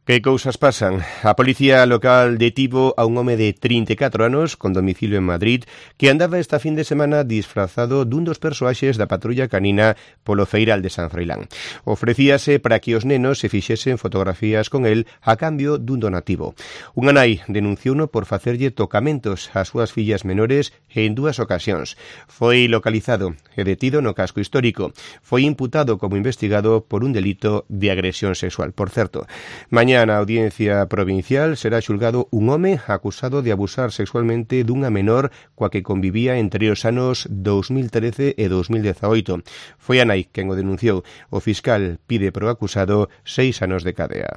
Que cousas pasan? A policía local detivo a un home de 34 anos con domicilio en Madrid que andaba esta fin de semana disfrazado dun dos persoaxes da patrulla canina polo Feiral de San Froilán. Ofrecíase para que os nenos se fixesen fotografías con el a cambio dun donativo. Unha nai denunciouno por facerlle tocamentos ás súas fillas menores en 2 ocasións. Foi localizado e detido no casco histórico. Foi imputado como investigado por un delito de agresión sexual. Por certo, mañá na Audiencia Provincial será xulgado un home acusado de abusar sexualmente dunha menor coa que convivía entre os anos 2013 e 2018. Foi a nai quen o denunciou. O fiscal pide pro acusado 6 anos de cadea.